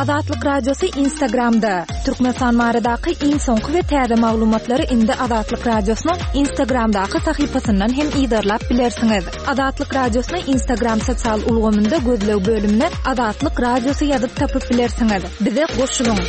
Azatlyk Radiosy Instagramda! Türkmenistan baradaky iň soňky we täze maglumatlary indi Azatlyk Radiosynyň Instagramdaky sahypasyndan hem yzarlap bilersiňiz. Azatlyk Radiosyny Instagram sosial ulgamynda gözleg bölümine Azatlyk Radiosy ýazyp tapyp bilersiňiz. Bize goşulyň!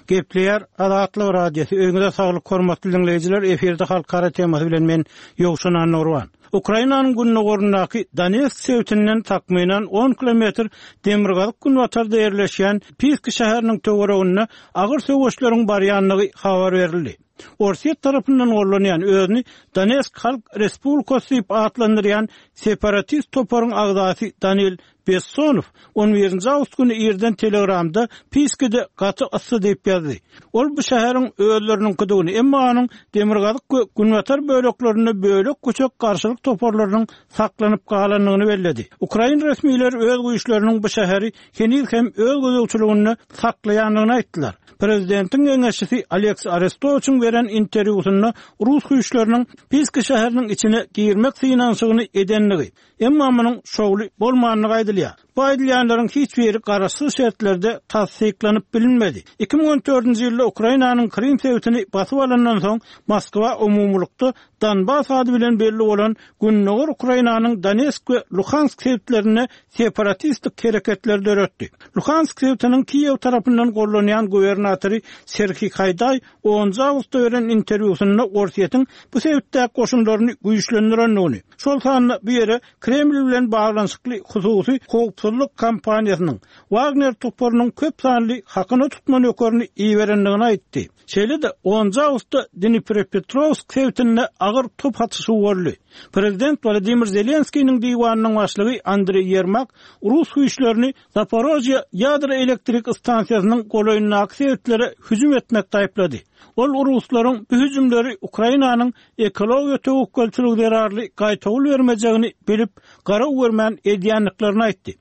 Gepleýär Azatlyk Radiosy, Öýüňize saglyk hormatly diňleýjiler, efirde Halkara temasy bilen men Ýowşan Annagurban. Ukrainanyň gündogaryndaky Donetsk sebitinden takmynan on kilometr demirgazyk-günbatarda ýerleşýän Piski şäheriniň töwereginde agyr söweşleriň barýandygy habar berildi. Orsýet tarapyndan gollanýan, özüni Donetsk Halk Respublikasy diýip atlandyrýan separatist toparyň agzasy Danil Bessonow on birinji awgust güni irden Telegramda Piskide gaty yssy diýip ýazdy. Ol bu şäheriň özleriniňkidigini, emma onuň demirgazyk we günbatar böleklerinde bölek-büçek garşylyk toparlarynyň saklanyp galandygyny belledi. Ukrain resmileri öz güýçleriniň bu şäheri heniz hem öz gözegçiliginde saklaýandygyny aýtdylar. Prezidentiň geňeşçisi Oleksiý Arestowiçiň beren interwýusynda rus güýçleriniň Piski şäheriniň içine girmek synanyşygyny edendigi, Emma munuň şowly bolmandygy aýdylýar. Bu aýdylýanlaryň hiç biri garaşsyz şertlerde tassyklanyp bilinmedi. 2014-nji ýylda Ukrainanyň Krym sebitini basyp alandan soň, Moskwa umumylykda Donbas ady bilen belli bolan gündogar Ukrainanyň Donetsk we Luhansk sebitlerinde separatistik hereketleri döretdi. Luhansk sebitiniň Kiýew tarapyndan gollanýan gubernatory Serhiý Haýdaý onunjy awgustda beren interwýusynda Orsýetiň bu sebitdäki goşunlaryny güýçlendirendigini, şol sanda bu ýere Kreml bilen baglanyşykly hususy howpsuzlyk kompaniýasynyň, Wagner toparynyň köp sanly hakyna tutma nökerini iberendigini aýtdy. Şeýle-de, onunjy awgustda Dniprepetrowsk sebitinde agyr top atyşygy boldy. Prezident Wladimir Zelenskiniň diwanynyň başlygy Andreý Ýermak rus güýçlerini Zaporožýe ýadro elektrik stansiýasynyň golaýyndaky sebitlere hüjüm etmekde aýyplady. Ol ruslaryň bu hüjümleri Ukrainanyň ekologiýa töwekgelçiligi zerarly gaýtawul bermejegini bilip, garaw görmän edýändiklerini aýtdy.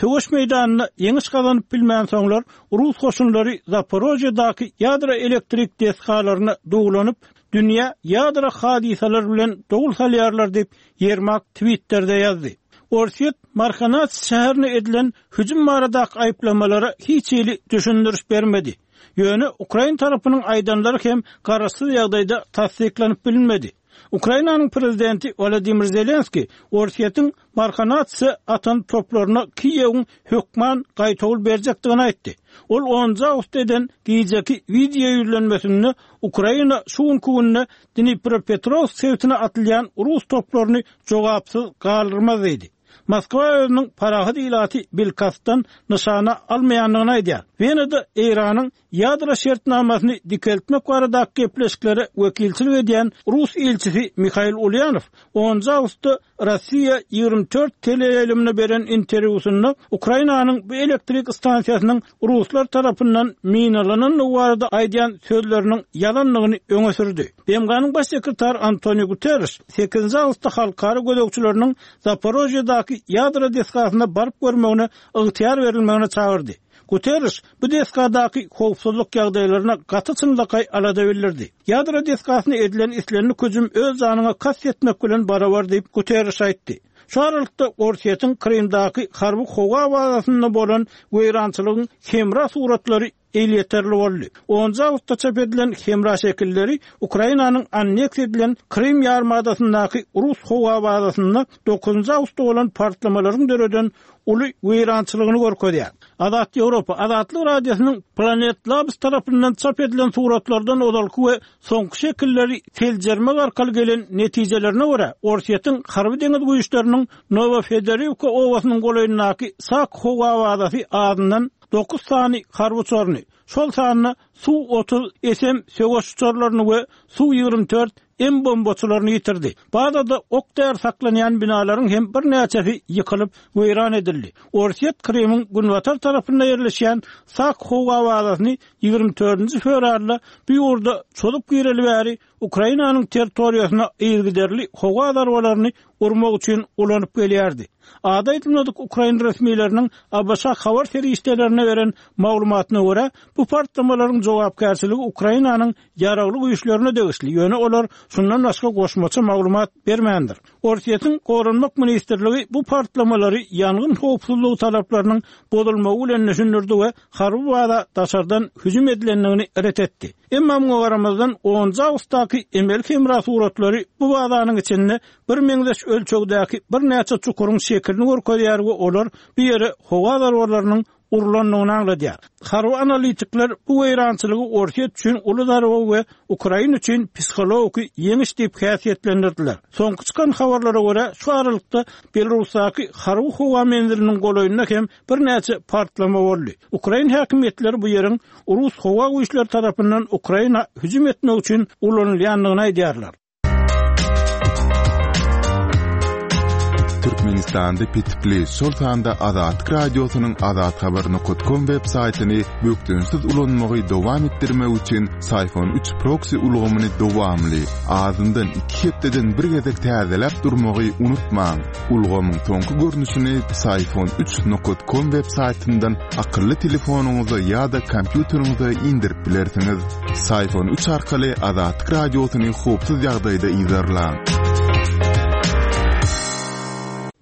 Söweş meýdanynda ýeňiş gazanyp bilmänsoňlar, rus goşunlary Zaporožýedaky ýadro elektrik desgalaryna duwlanyp, dünýä ýadro hadysalar bilen dowul salýarlar diýip, Ýermak Twitterde ýazdy. Orsýet Marhanats şäherine edilen hüjüm baradaky aýyplamalara hiç hili düşündiriş bermedi. Ýöne ukrain tarapynyň aýdanlary hem garaşsyz ýagdaýda tassyklanyp bilinmedi. Ukrainanyň prezidenti Wolodymyr Zelenskiý Orsýetiň Marhanatsa atan toplaryna Kiýewiň hökman gaýtawul berjekdigini aýtdy. Ol onunjy awgustda eden gijeki wideo ýüzlenmesinde Ukraina şu günki günde Dnipropetrowsk sebitine atylýan rus toplaryny jogapsyz galdyrmaz diýdi. Moskwa özüniň parahat ilaty bilkastdan nyşana almaýandygyny aýdýar. Wenada Eýranyň ýadro şertnamasyny dikeltmek baradaky gepleşiklere wekilçilik edýän rus ilçisi Mihail Ulýanow onunjy awgustda Rossiýa 24 teleýaýlymyna beren interwýusynda Ukrainanyň bu elektrik stansiýasynyň ruslar tarapyndan minalanandygy barada aýdýan sözleriniň ýalandygyny öňe sürdi. BMG-niň Baş sekretary Antoniu Guterreş sekizinji awgustda halkara gözegçileriniň Zaporožýedaky ýadro desgasyna baryp görmegine ygtyýar berilmegine çagyrdy. Guterreş bu desgadaky howpsuzlyk ýagdaýlaryna gaty çynlakaý alada bildirdi. Ýadro desgasyna edilen islendik hüjüm öz janyňa kast etmek bilen barabar diýip, Guterreş aýtdy. Şu aralykda, Orsýetiň Krymdaky harby howa bazasynda bolan weýrançylygyň hemra suratlary elýeterli boldy. Onunjy awgustda çap edilen hemra şekilleri Ukrainanyň anneksiýa edilen Krym ýarymadasyndaky rus howa bazasynda dokuzynjy awgustda bolan partlamalaryň döreden uly weýrançylygyny görkezýär. Azat Ýewropa, Azatlyk Radiosynyň Planet Labs tarapyndan çap edilen suratlardan ozalky we soňky şekilleri seljermek arkaly gelen netijelerine görä, Orsýetiň harby-deňiz güýçleriniň Nowofedoriwka obasynyň golaýyndaky Sak howa bazasy azyndan dokuz sany harby uçaryny, şol sanda Su-otuz SM söweş uçarlaryny we Su-24 M bombaçylaryny ýitirdi. Bazada ok-däri saklanýan binalaryň hem birnäçesi ýykylyp, weýran edildi. Orsýet Krymyň günbatar tarapynda ýerleşýän Sak howa bazasyny 24-nji fewralda bu ýurda çozup gireli bäri Ukrainanyň territoriýasyna yzygiderli howa zarbalaryny urmak üçin ulanyp gelýärdi. Ady aýdylmadyk ukrain resmileriniň ABŞ habar serişdelerine beren maglumatyna görä, bu partlamalaryň. jogapkärçiligi Ukrainanyň Ýaragly güýçlerine degişli, ýöne olar şundan başga goşmaça maglumat bermändir. Orsýetiň Goranmak ministrligi bu partlamalary ýangyn howpsuzlygy talaplarynyň bozulmagy bilen düşündirdi we harby baza daşardan hüjüm edilendigini ret etdi. Emma muňa garamazdan, onunjy awgustdaky emeli hemra suratlary bu bazanyň içinde birmeňzeş ölçegdäki birnäçe çukuryň şekilini görkezýär we olar bu ýere howa zarbalarynyň urlandygyny aňladýar. Harby analitikler bu weýrançylygy Orsýet üçin uly zarba we Ukraina üçin psihologiki ýeňiş diýip häsiýetlendirdiler. Soňky çykan habarlara görä, şu aralykda Belarusdaky harby howa menziliniň golaýynda hem birnäçe partlama boldy. Ukrain häkimiýetleri bu ýeriň rus howa güýçleri tarapyndan Ukraina hüjüm etmek üçin ulanylýandygyny aýdýarlar. Türkmenistanda petikli, şol sanda Azatlyk Radiosynyň azathabar.com web saýtyny bökdençsiz ulanmagy dowam etdirmek üçin Syfon 3 proksi ulgamyny dowamly, azyndan iki hepdeden bir gezek täzeläp durmagy unutmaň. Ulgamyň soňky görnüşini Syfon 3 com web saýtyndan akylly telefonyňyza ýa-da kompýuteriňize indirip bilersiňiz. Syfon 3 arkaly Azatlyk Radiosyny howpsuz ýagdaýda yzarlaň.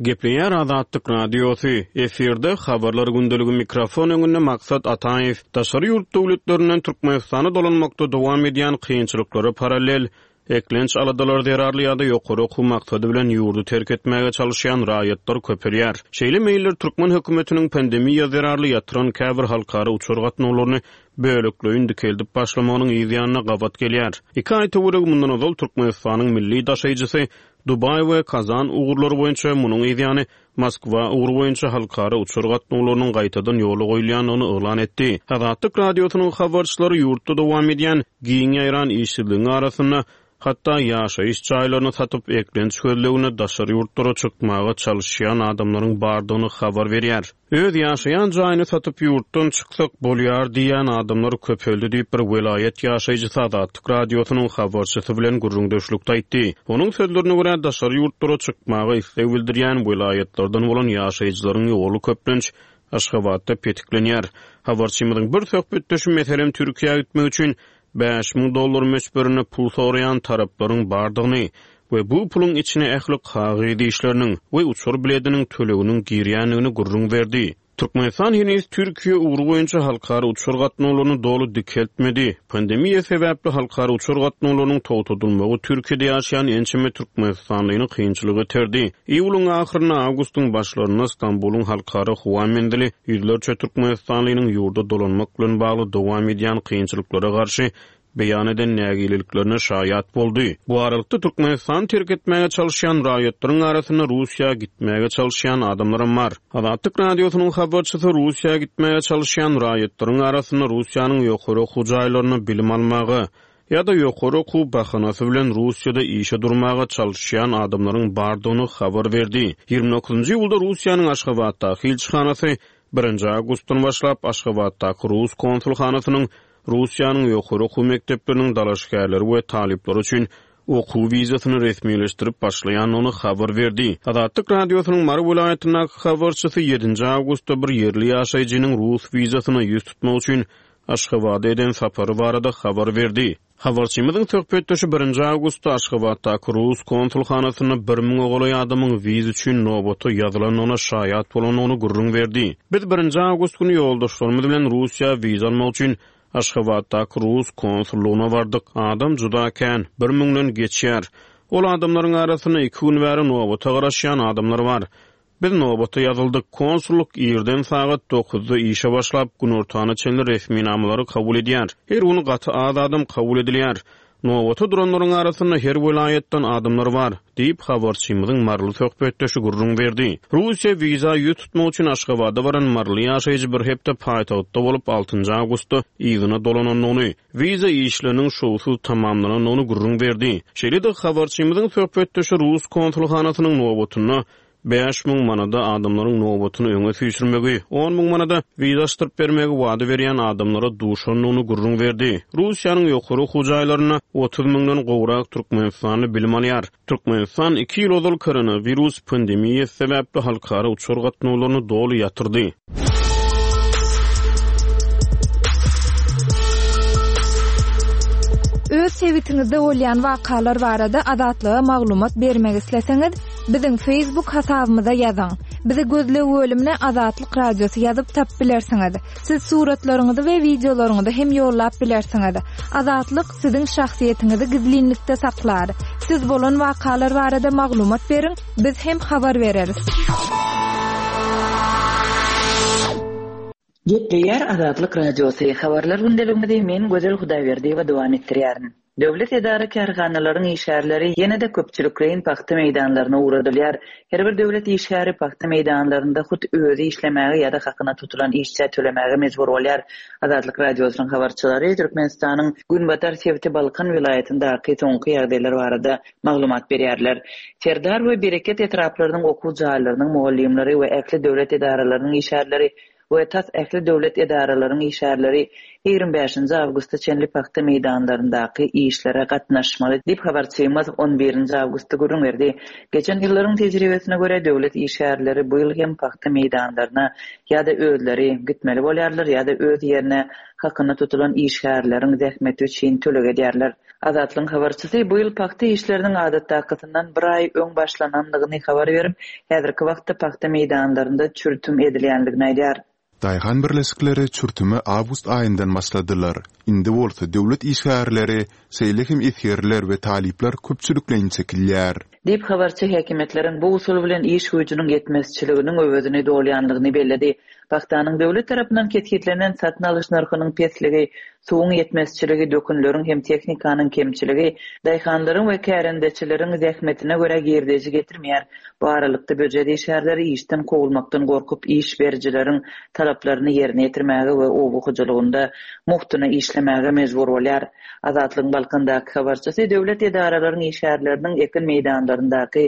Gepleýär Azatlyk Radiosy, efirde Habarlar gündeligi mikrofon öňünde Maksat Ataýew. Daşary ýurt döwletlerinden Türkmenistana dolanmakda dowam edýän kynçylyklara parallel, Eklenç aladalary zerarly ýa-da ýokary okuw maksady bilen ýurdy terk etmäge çalyşýan raýatlar köpelýär. Şeýle meýiller türkmen hökümetiniň pandemiýa zerarly ýatyran käbir halkara uçar gatnawlaryny bölekleýin dikeldip başlamagynyň yz ýanyna gabat gelýär. Iki aý töweregi mundan ozal Türkmenistanyň milli daşaýjysy Dubaý we Kazan ugurlary boýunça, munuň yz ýany Moskwa ugry boýunça halkara uçar gatnawlarynyň gaýtadan ýola goýulýandygyny yglan etdi. Azatlyk Radiosynyň habarçylary ýurtda dowam edýän giň ýaýran işsizligiň arasynda, hatda ýaşaýyş jaýlaryny satyp, eklenç gözlegine daşary ýurtlara çykmaga çalyşýan adamlaryň bardygyny habar berýär. Öz ýaşaýan jaýyny satyp ýurtdan çyksak bolýar diýýän adamlar köpeldi diýip, bir welaýat ýaşaýjysy Azatlyk Radiosynyň habarçysy bilen gürrüňdeşlikde aýtdy. Onuň sözlerine görä, daşary ýurtlara çykmaga isleg bildirýän welaýatlardan bolan ýaşaýjylaryň ýoly köplenç Aşgabatda petiklenýär. Habarçymyzyň bir söhbetdeşi, meselem, Türkiýä gitmek üçin 5000 dollar möçberinde pul soraýan taraplaryň bardygyny we bu puluň içine ähli kagyz işleriniň we uçar bilediniň töleginiň girýändigini gürrüň berdi. Türkmenistan heniz Türkiýe ugry boýunça halkara uçar gatnawlaryny doly dikeltmedi. Pandemiýa sebäpli halkara uçar gatnawlarynyň togtadylmagy Türkiýede ýaşaýan ençeme türkmenistanlyny kynçylyga iterdi. Iýulyň ahyrynda, awgustyň başlarynda Stambulyň halkara howa menzili ýüzlerçe türkmenistanlynyň ýurda dolanmak bilen bagly dowam edýän kynçylyklara garşy beýan eden nägileliklerine şaýat boldy. Bu aralykda, Türkmenistany terk etmäge çalyşýan raýatlaryň arasynda Russiýa gitmäge çalyşýan adamlaram bar. Azatlyk Radiosynyň habarçysy Russiýa gitmäge çalyşýan raýatlaryň arasynda Russiýanyň ýokary okuw jaýlarynda bilim almaga ýa-da ýokary okuw bahanasy bilen Russiýada işe durmaga çalyşýan adamlaryň bardygyny habar berdi. 29-njy iýulda Russiýanyň Aşgabatdaky ilçihanasy birinji awgustdan başlap Aşgabatdaky rus konsulhanasynyň Russiýanyň ýokary okuw mekdepleriniň dalaşgärleri we talyplary üçin okuw wizasyny resmileşdirip başlaýandygyny habar berdi. Azatlyk Radiosynyň Mary welaýatyndaky habarçysy ýedinji awgustda bir ýerli ýaşaýjynyň rus wizasyna ýüz tutmak üçin Aşgabada eden sapary barada habar berdi. Habarçymyzyň söhbetdeşi birinji awgustda Aşgabatdaky rus konsulhanasynda bir müňe golaý adamyň wiza üçin nobata ýazylandygyna şaýat bolandygyny gürrüň berdi. Biz birinji awgust güni ýoldaşlarymyz bilen Russiýa wiza almak üçin Aşgabatdaky rus konsullygyna bardyk. Adam juda kän, bir müňden geçýär. Ol adamlaryň arasynda iki gün bäri nobata garaşýan adamlar bar. Biz nobata ýazyldyk. Konsullyk irden sagat dokuzda işe başlap, günortana çenli resminamalary kabul edýär. Her gün gaty az adam kabul edilýär. Nobata duranlaryň arasynda her welaýatdan adamlar bar, diýip, habarçymyzyň maryly söhbetdeşi gürrüň berdi. Russiýa wiza ýüz tutmak üçin Aşgabada baran maryly ýaşaýjy bir hepde paýtagtda bolup, altynjy awgustda yzyna dolanandygyny, wiza işleriniň şowsuz tamamlanandygyny gürrüň berdi. Şeýle-de, habarçymyzyň söhbetdeşi rus konsulhanasynyň nobatynda 5000 manada adamlaryň nobatyny öňe süýşürmegi, on müň manada wiza açdyryp bermegi wada berýän adamlara duşandygyny gürrüň berdi. Russiýanyň ýokary okuw jaýlarynda 30 müňden gowrak türkmenistanly bilim alýar. Türkmenistan iki ýyl ozal koronawirus pandemiýasy sebäpli halkara uçar gatnawlaryny doly ýatyrdy. sebitiňizde bolýan wakalar barada Azatlyga maglumat bermek isleseňiz, biziň Facebook hasabymyza ýazyň. Bizi gözleg bölümine Azatlyk Radiosy ýazyp tapyp bilersiňiz. Siz suratlaryňyzy we wideolaryňyzy hem ýollap bilersiňiz. Azatlyk siziň şahsyýetiňizi gizlinlikde saklar. Siz bolan wakalar barada maglumat beriň, biz hem habar bereris. Gepleýär Azatlyk Radiosy, Habarlar gündeligimizi men Gözel Hudaýberdiýewa dowam etdirýärin. Döwlet edara-kärhanalaryň işgärleri ýene-de köpçülikleýin pagta meýdanlaryna ugradylýar. Her bir döwlet işgäri pagta meýdanlarynda hut özi işlemäge ýa-da hakyna tutulan işçä tölemäge mejbur bolýar. Azatlyk Radiosynyň habarçylary Türkmenistanyň günbatar sebiti Balkan welaýatyndaky soňky ýagdaýlar barada maglumat berýärler. Serdar we Bereket etraplarynyň okuw jaýlarynyň mugallymlary we ähli döwlet edaralarynyň işgärleri we tas ähli döwlet edaralaryň işgärleri 25-nji awgusta çenli pagta meýdanlaryndaky işlere gatnaşmaly diýip, habarçymyz on birinji awgustda gürrüň berdi. Geçen ýyllaryň tejribesine görä, döwlet işgärleri bu ýyl hem pagta meýdanlaryna ýa-da özleri gitmeli bolýarlar, ýa-da öz ýerine hakyna tutulan işgärleriň zähmeti üçin töleg edýärler. Azatlygyň habarçysy bu ýyl pagta işleriniň adatdakysyndan bir aý öň başlanandygyny habar berip, häzirki wagtda pagta meýdanlarynda çürtüm edilýändigini aýdýar. Daýhan birleşikleri çürtüme awgust aýyndan başladylar. Indi bolsa döwlet işgärleri, şeýle hem esgerler we talyplar köpçülikleýin çekilýär. Diýip, habarçy häkimiýetleriň bu usul bilen iş güýjüniň ýetmezçiliginiň öwezini dolýanlygyny belledi. Pagtanyň döwlet tarapyndan kesgitlenen satyn alyş nyrhynyň pesligi, suwuň ýetmezçiligi, dökünleriň hem tehnikanyň kemçiligi daýhanlaryň we kärendeçileriň zähmetine görä girdeji getirmeýär. Bu aralykda býujet işgärleri işden kowulmakdan gorkup, iş berijileriň talaplaryny ýerine ýetirmäge we oba hojalygynda mugtuna işlemäge mejbur bolýar. Azatlygyň Balkandaky habarçysy döwlet edaralaryň işgärleriniň ekin meýdanlaryndaky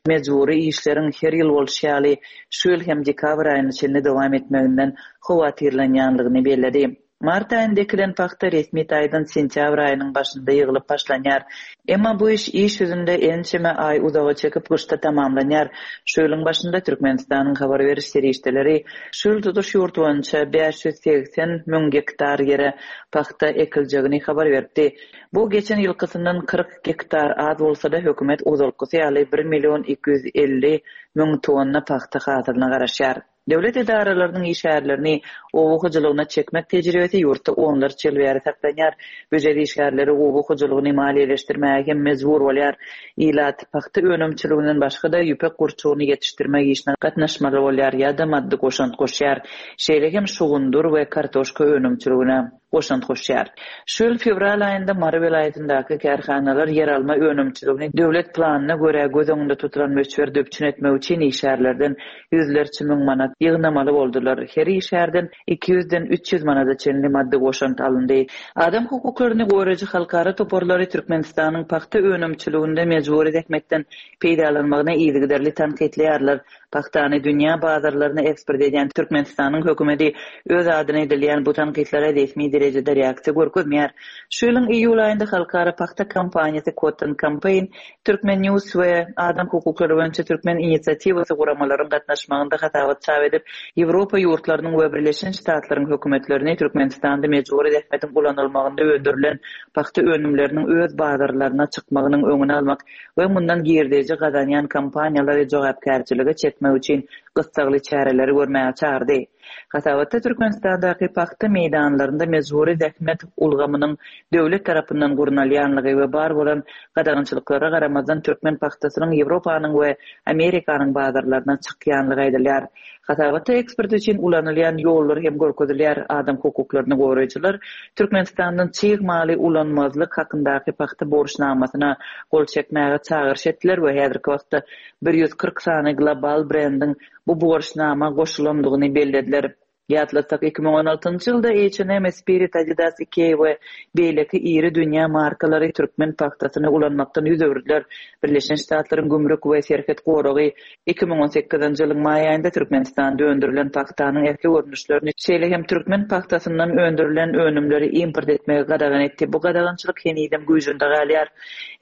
mejbury işleriň her ýyl bolşy ýaly, şu ýyl hem dekabr aýyna çenli dowam etmeginden howatyrlanýanlygyny belledi. Mart aýynda ekilen pagta resmi taýdan sentýabr aýynyň başynda ýygylyp başlanýar. Emma bu iş iş ýüzünde ençeme aý uzaga çekip, gyşda tamamlanýar. Şu ýylyň başynda Türkmenistanyň habar beriş serişdeleri şu ýyl tutuş ýurt boýunça 580 müň gektar ýere pagta ekiljegini habar beripdi. Bu geçen ýylkysyndan 40 gektar az bolsa-da, hökümet ozalkysy ýaly bir million 250 müň tonna pagta hasylyna garaşýar. Döwlet edaralarynyň işgärlerini oba hojalygyna çekmek tejribesi ýurtda onlarça ýyl bäri saklanýar. Býujet işgärleri oba hojalygyny maliýeleşdirmäge hem mejbur bolýar. Ilat pagta önümçiliginden başga-da ýüpek gurçugyny ýetişdirmek işine gatnaşmaly bolýar ýa-da maddy goşant goşýar. Şeýle hem şugundyr we kartoşka önümçiligine goşant goşýar. Şu ýyl fewral aýynda Mary welaýatyndaky kärhanalar ýeralma önümçiligini döwlet planyna görä göz öňünde tutulan möçberde üpjün etmek üçin işgärlerden ýüzlerçe müň manat ýygnamaly boldular. Her işgärden iki ýüzden 300 manada çenli maddy goşant alyndy. Adam hukuklaryny goraýjy halkara toparlary Türkmenistanyň pagta önümçiliginde mejbury zähmetden peýdalanmagyny yzygiderli tankytlaýarlar. Pagtany dünýä bazarlaryna eksport edýän Türkmenistanyň hökümeti öz adyna edilýän bu tankytlara resmi derejede reaksiýa görkezmeýär. Şu ýylyň iýul aýynda halkara pagta kampaniýasy Cotton Campaign, Turkmen News we Adam hukuklary boýunça Türkmen inisiatiwasy guramalaryň gatnaşmagynda hasabat çap edip, Ýewropa ýurtlarynyň we Birleşen Ştatlaryň hökümetlerini Türkmenistanda mejbury zähmetiň ulanylmagynda öndürilen pagta önümleriniň öz bazarlaryna çykmagynyň öňüni almak we mundan girdeji gazanýan kompaniýalary jogapkärçilige çekmek üçin gyssagly çäreleri görmäge çagyrdy. Hasabatda Türkmenistandaky pagta meýdanlarynda mejbury zähmet ulgamynyň döwlet tarapyndan gurnalýanlygy we bar bolan gadagançylyklara garamazdan türkmen pagtasynyň Ýewropanyň we Amerikanyň bazarlaryna çykýanlygy aýdylýar. Hasabatda eksport üçin ulanylýan ýollar hem görkezilýär, adam hukuklaryny goraýjylar Türkmenistandan çig maly ulanmazlyk hakyndaky pagta borçnamasyna gol çekmäge çagyryş etdiler we häzirki wagtda 140 sany global brendiň bu borçnama goşulandygyny bellediler. Ýatlatsak, 2016-njy ýylda H&M, Spirit, Adidas, Ikea we beýleki iri dünýä markalary türkmen pagtasyny ulanmakdan ýüz öwürdiler. Birleşen Ştatlaryň Gümrük we serhet goragy 2018-nji ýylyň maý aýynda Türkmenistanda öndürilen pagtanyň ähli görnüşlerini, şeýle hem türkmen pagtasyndan öndürilen önümleri import etmegi gadagan etdi. Bu gadagançylyk henizem güýjünde galýar.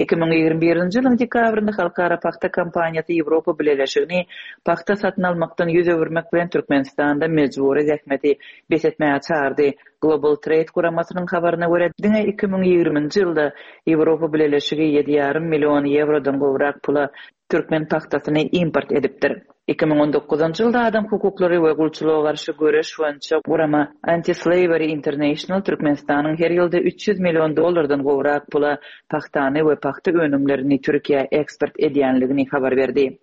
2021-nji ýylyň dekabrynda Halkara pagta kampaniýasy Ýewropa Bileleşigini pagta satyn almakdan ýüz öwürmek bilen Türkmenistanda mejbury zähmet. zähmeti bes etmäge çagyrdy. Global Trade guramasynyň habaryna görä, diňe 2020-nji ýylda Ýewropa Bileleşigi ýedi ýarym million ýewrodan gowrak pula türkmen pagtasyny import edipdir. 2019-njy ýylda adam hukuklary we gulçulyga garşy göreş boýunça gurama Anti-Slavery International Türkmenistanyň her ýylda 300 million dollardan gowrak pula pagtany we pagta önümlerini Türkiýä eksport edýänligini habar berdi.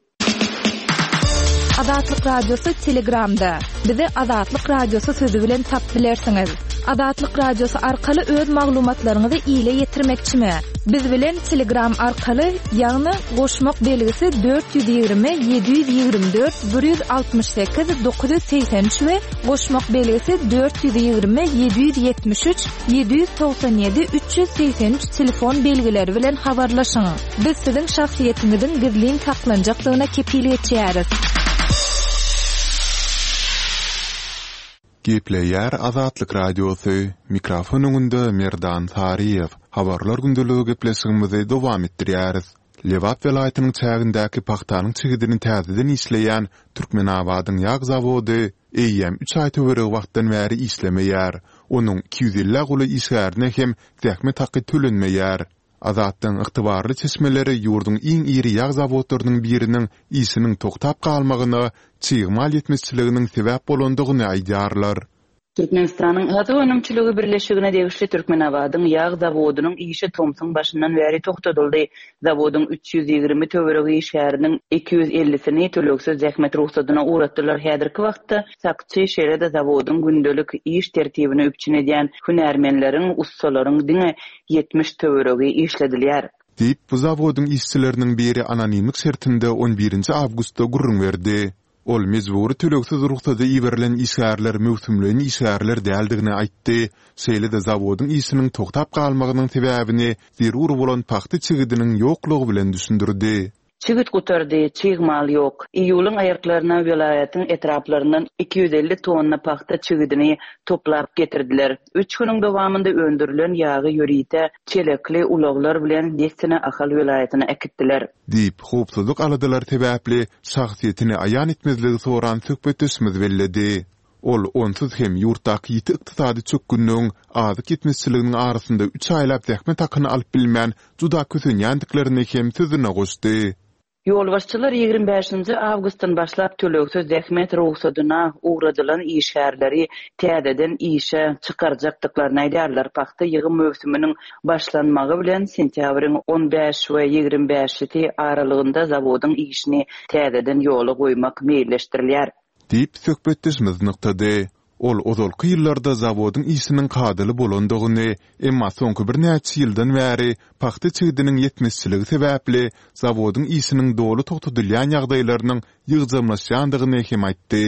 Azatlyk Radiosy Telegramda. Bizi Azatlyk Radiosy sözi bilen tapyp bilersiňiz. Azatlyk Radiosy arkaly öz maglumatlaryňyzy ile ýetirmekçimi? Biz bilen Telegram arkaly, ýagny goşmak belgisi 420 724 168 983 we goşmak belgisi 420 773 797 383 telefon belgileri bilen habarlaşyň. Biz siziň şahsyýetiňiziň gizlin saklanjakdygyna kepil geçýäris. Gepleýär Azatlyk Radiosy, mikrofon öňünde Merdan Saryýew. Habarlar gündeligi gepleşigimizi dowam etdirýäris. Lebap welaýatynyň çägindäki pagtanyň çigidini täzeden işleýän Türkmenabadyň ýag zawody eýýäm üç aý töweregi wagtdan bäri işlemeýär. Onuň 250-ä golaý işgärine hem zähmet haky tölenmeýär. Azatlygyň ygtybarly çeşmeleri ýurduň iň iri ýag zawodlarynyň biriniň işiniň toktap galmagyna çig mal ýetmezçiliginiň sebäp bolandygyny aýdýarlar. Türkmenistanyň Azyk önümçiligi birleşigine degişli Türkmenabadyň ýag zawodynyň işi tomsuň başyndan bäri togtadyldy. Zawodyň 320 töweregi işgäriniň 250-sini tölegsiz zähmet rugsadyna ugratdylar. Häzirki wagtda sakçy, şeýle-de zawodyň gündelik iş tertibini üpjün edýän hünärmenleriň, ussalaryň diňe 70 töweregi işledilýär. Diýip, bu zawodyň işçileriniň biri anonimlik şertinde on birinji awgustda gürrüň berdi. Ol mejbury tölegsiz rugsada iberilen işgärler möwsümleýin işgärler däldigini aýtdy, şeýle-de zawodyň işiniň togtap galmagynyň sebäbini zerur bolan pagta çigidiniň ýoklugy bilen düşündirdi. Çigit gutardy, çig mal ýok. Iýulyň aýaklaryna welaýatyň etraplaryndan 250 tonna pagta çigidini toplap getirdiler. Üç günüň dowamynda öndürilen ýagy ýörite çelekli ulaglar bilen dessine Ahal welaýatyna äkitdiler. Diýip, howpsuzlyk aladalary sebäpli şahsyýetini aýan etmezligi soran söhbetdeşimiz belledi. Ol onsuz hem ýurtdaky ýiti ykdysady çökgünligiň, azyk ýetmezçiliginiň arasynda üç aýlap zähmet hakyny alyp bilmän, juda kösenýändiklerini hem sözüne goşdy. Ýolbaşçylar 25-nji awgustdan başlap tölegsiz zähmet rugsadyna ugradylan işgärleri täzeden işe çykarjakdyklaryny aýdýarlar. Pagta ýygym möwsüminiň başlanmagy bilen sentýabryň on bäş we 25-si aralygynda zawodyň işini täzeden ýola goýmak meýilleşdirilýär. Diýip, söhbetdeşimiz nygtady. Ol ozalky ýyllarda zawodyň işiniň kadaly bolandygyny, emma soňky birnäçe ýyldan bäri pagta çigidiniň ýetmezçiligi sebäpli zawodyň işiniň doly togtadylýan ýagdaýlarynyň ýygjamlaşýandygyny hem aýtdy.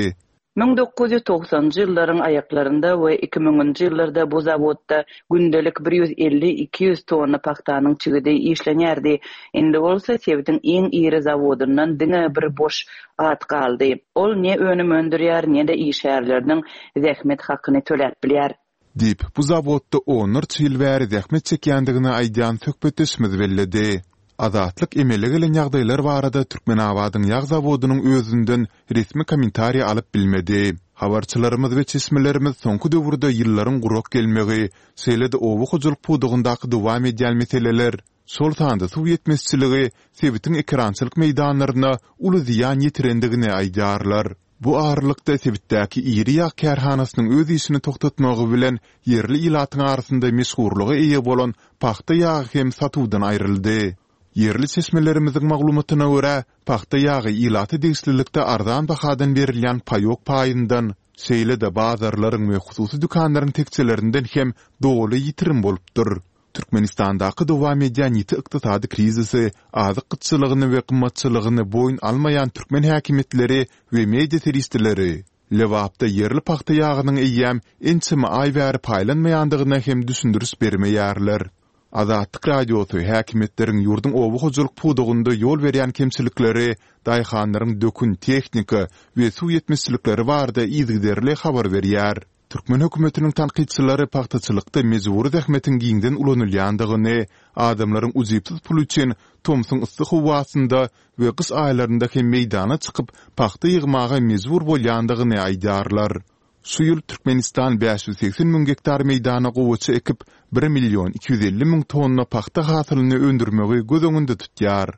1990-njy ýyllaryň aýaklarynda we iki müňünji ýyllarda bu zawodda gündelik bir ýüz elli-iki ýüz tonna pagtanyň çigidi işlenýärdi. Indi bolsa sebitiň iň iri zawodyndan diňe bir boş at galdy. Ol ne önüm öndürýär, ne-de işgärleriniň zähmet hakyny töläp bilýär. Diýip, bu zawodda onlarça ýyl bäri zähmet çekýändigini aýdýan söhbetdeşimiz belledi. Azatlyk emele gelen ýagdaýlar barada Türkmenabadyň ýag zawodynyň özünden resmi kommentariý alyp bilmedi. Habarçylarymyz we çeşmelerimiz soňky döwürde ýyllaryň gurak gelmegi, şeýle-de oba hojalyk pudagyndaky dowam edýän meseleler, şol sanda suw ýetmezçiligi sebitiň ekerançylyk meýdanlaryna uly zyýan ýetirendigini aýdýarlar. Bu aralykda, sebitdäki iri ýag kärhanasynyň öz işini togtatmagy bilen ýerli ilatyň arasynda meşhurlyga eýe bolan pagta ýagy hem satuwdan aýryldy. Ýerli çeşmelerimiziň maglumatyna görä, pagta ýagy ilata degişlilikde arzan bahadan berilýän paýok paýyndan, şeýle-de bazarlaryň we hususy dükanlaryň tekjelerinden hem doly ýitirim bolupdyr. Türkmenistandaky dowam edýän ýiti ykdysady krizisi, azyk gytçylygyny we gymmatçylygyny boýun almaýan türkmen häkimiýetleri we media serişdeleri Lebapda ýerli pagta ýagynyň eýýäm ençeme aý bäri paýlanmaýandygyna hem düşündiriş bermeýärler. Azatlyk Radiosy häkimiýetleriň ýurduň oba hojalyk pudagynda ýol berýän kemçilikleri, daýhanlaryň dökün, tehnika we suw ýetmezçilikleri barada yzygiderli habar berýär. Türkmen hökümetiniň tankytçylary pagtaçylykda mejbury zähmetiň giňden ulanylýandygyny, adamlaryň ujypsyz pul üçin tomsuň yssy howasynda we gyş aýlarynda hem meýdana çykyp, pagta ýygmaga mejbur bolýandygyny aýdýarlar. Şu ýyl Türkmenistan 580 müň gektar meýdana gowaça ekip, bir million 250 müň tonna pagta hasylyny öndürmegi göz öňünde tutýar.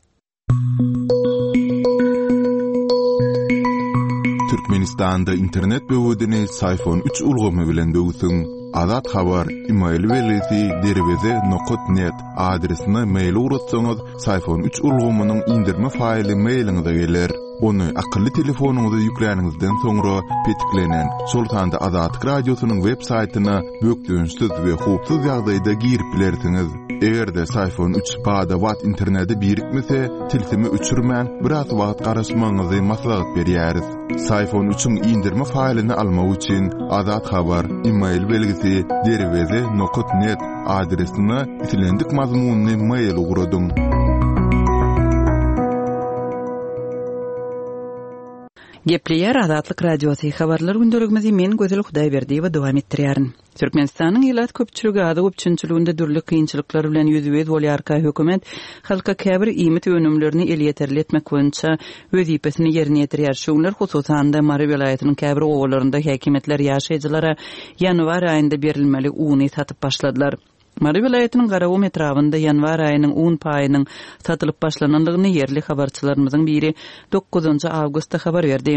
Türkmenistanda internet böwedini Syfon üç ulgamy bilen böwsüň. Azat Habar, email belgisi derweze nokat net adresine mail ugratsaňyz, Syfon üç ulgamynyň indirme faýly mailiňize geler. Ony akylly telefonyňyza ýükläniňizden soňra petiklenen, şol sanda Azatlyk Radiosynyň web saýtyna bökdençsiz we howpsuz ýagdaýda girip bilersiňiz. Eger-de Syfon üç bada-bat internete birikmese, tilsimi öçürmän, biraz wagt garaşmagyňyzy maslahat berýäris. Syfon üçiň indirme faýlyny almak üçin Azat Habar, email belgisi derweze nokat net adresine islendik mazmunly mail ugradyň. Gepleýär Azatlyk Radiosy, Habarlar gündeligimizi men Gözel Hudaýberdiýewa dowam etdirýärin. Türkmenistanyň ilat köpçüligi azyk üpjünçiliginde dürli kynçylyklar bilen ýüzbe-ýüz bolýarka, hökümet halka käbir iýmit önümlerini elýeterli etmek boýunça wezipesini ýerine ýetirýär. Şu günler, hususan-da, Mary welaýatynyň käbir obalarynda häkimiýetler ýaşaýjylara ýanwar aýynda berilmeli uny satyp başladylar. Mary welaýatynyň Garagum etrabynda ýanwar aýynyň un paýynyň satylyp başlanandygyny ýerli habarçylarymyzyň biri dokuzynjy awgustda habar berdi.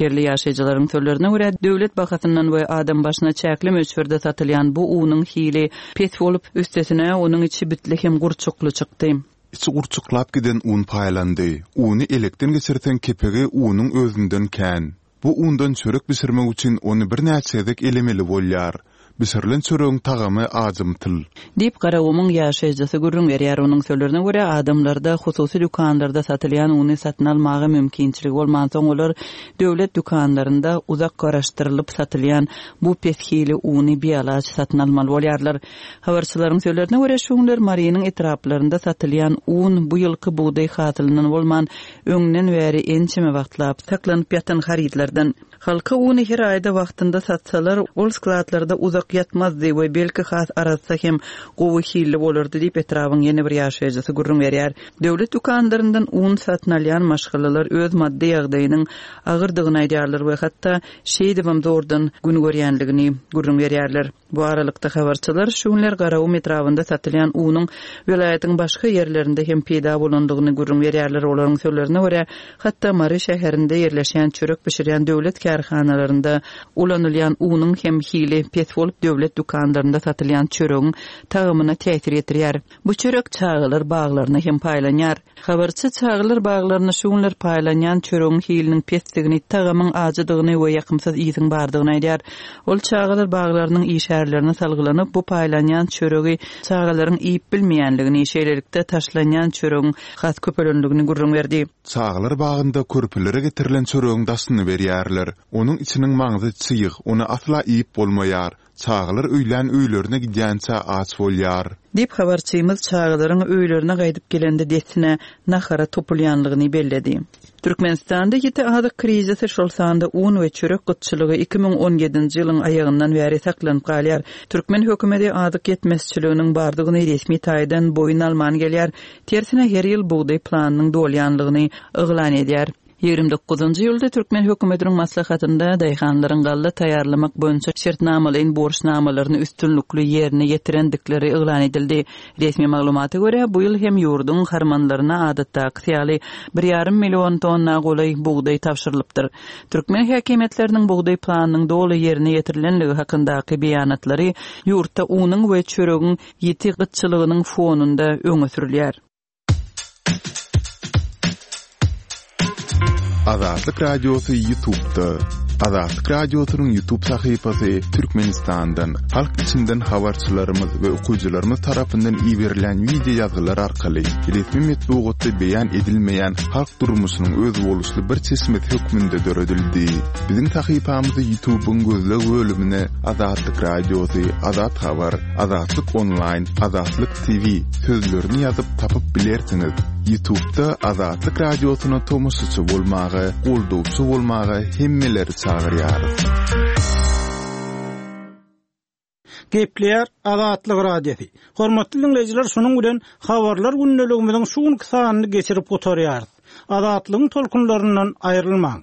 Ýerli ýaşaýjylaryň sözlerine görä, döwlet bahasyndan we adam başyna çäkli möçberde satylýan bu unuň hili pes bolup, üstesine, onuň içi bitli hem gurçukly çykdy. Içi gurçuklap giden un paýlandy. Uny elekden geçirseň kepegi unuň özünden kän. Bu undan çörek bişirmek üçin ony birnäçe gezek elemeli bolýar. Bişirilen çöregiň tagamy ajymtyl. Diýip, Garagumuň ýaşaýjysy gürrüň berýär. Onuň sözlerine görä, adamlarda hususy dükanlarda satylýan uny satyn almaga mümkinçiligi bolmansoň, olar döwlet dükanlarynda uzak garaşdyrylyp satylýan bu pes hili uny bialaç satyn almaly bolýarlar. Habarçylaryň sözlerine görä, şu günler Marynyň etraplarynda satylýan un bu ýylky bugdaý hasylyndan bolman, öňden bäri ençeme wagtlap saklanyp ýatan harytlardan. Halka uny her aýda wagtynda satsalar, ol skladlarda uzak ýatmazdy we belki has arassa hem gowy hilli bolardy diýip, etrabyň ýene bir ýaşaýjysy gürrüň berýär. Döwlet dükanlaryndan un satyn alýan maşgalalar öz maddy ýagdaýynyň agyrdygyny aýdýarlar we hatda şeýdibem zordan gün görýänligini gürrüň berýärler. Bu aralykda, habarçylar şu günler Garagum etrabynda satylýan unuň welaýatyň başga ýerlerinde hem peýda bolandygyny gürrüň berýärler. Olaryň sözlerine görä, hatda Mary şäherinde ýerleşýän çörek bişirýän döwlet kärhanalarynda ulanylýan unuň hem hili pes bolup, döwlet dükanlarynda satylýan çöregiň tagamyna täsir ýetirýär. Bu çörek çagalar baglaryna hem paýlanýar. Habarçy çagalar baglaryna şu günler paýlanýan çöregiň hiliniň pesdigini, tagamyň ajydygyny we ýakymsyz ysyň bardygyny aýdýar. Ol çagalar baglarynyň işgärlerine salgylanyp, bu paýlanýan çöregi çagalaryň iýip bilmeýänligini, şeýlelikde, taşlanýan çöregiň has köpelendigini gürrüň berdi. Çagalar bagynda körpelere getirilen çöregiň daşyny berýärler. Onuň içiniň maňzy çyg, ony asla iýip bolmaýar. Çagalar öýlän öýlerine gidýänçä aç bolýar. Diýip, habarçymyz çagalaryň öýlerine gaýdyp gelende dessine nahara topulýanlygyny belledi. Türkmenistanda ýiti azyk krizisi, şol sanda un we çörek gytçylygy 2017-nji ýylyň aýagyndan bäri saklanyp galýar. Türkmen hökümeti azyk ýetmezçiliginiň bardygyny resmi taýdan boýun alman gelýär. Tersine, her ýyl bugdaý planynyň dolýanlygyny yglan edýär. 29-njy iýulda türkmen hökümetiniň maslahatynda daýhanlaryň galla taýýarlamak boýunça şertnamalaýyn borçnamalaryny üstünlikli ýerine ýetirendikleri yglan edildi. Resmi maglumata görä, bu ýyl hem ýurduň harmanlaryna adatdakysy ýaly bir ýarym million tonna golaý bugdaý tabşyrylypdyr. Türkmen häkimiýetleriniň bugdaý planynyň doly ýerine ýetirilenligi hakyndaky beýanatlary ýurtda unuň we çöregiň ýiti gytçylygynyň fonunda öňe sürülýär. Azatlyk Radiosy YouTube'da. Azatlyk Radiosynyň YouTube sahypasy Türkmenistandan, halk içinden habarçylarymyz we okyjylarymyz tarapyndan iberilen wideo ýazgylar arkaly resmi metbugatda beýan edilmeýän halk durmuşynyň özboluşly bir çeşmesi hökmünde döredildi. Biziň sahypamyzy YouTube'yň gözleg bölümine Azatlyk Radiosy, Azat Habar, Azatlyk Onlaýn, Azatlyk TV sözlerini ýazyp tapyp bilersiňiz. Ýutubda Azatlyk Radiosyna tomaşaçy bolmaga, goldawçy bolmaga hemmeleri çagyrýarys. Gepleýär Azatlyk Radiosy. Hormatly diňleýjiler şunuň bilen Habarlar gündeligimiziň şu günki sanyny geçirip gutarýarys. Azatlygyň tolkunlaryndan aýrylmaň.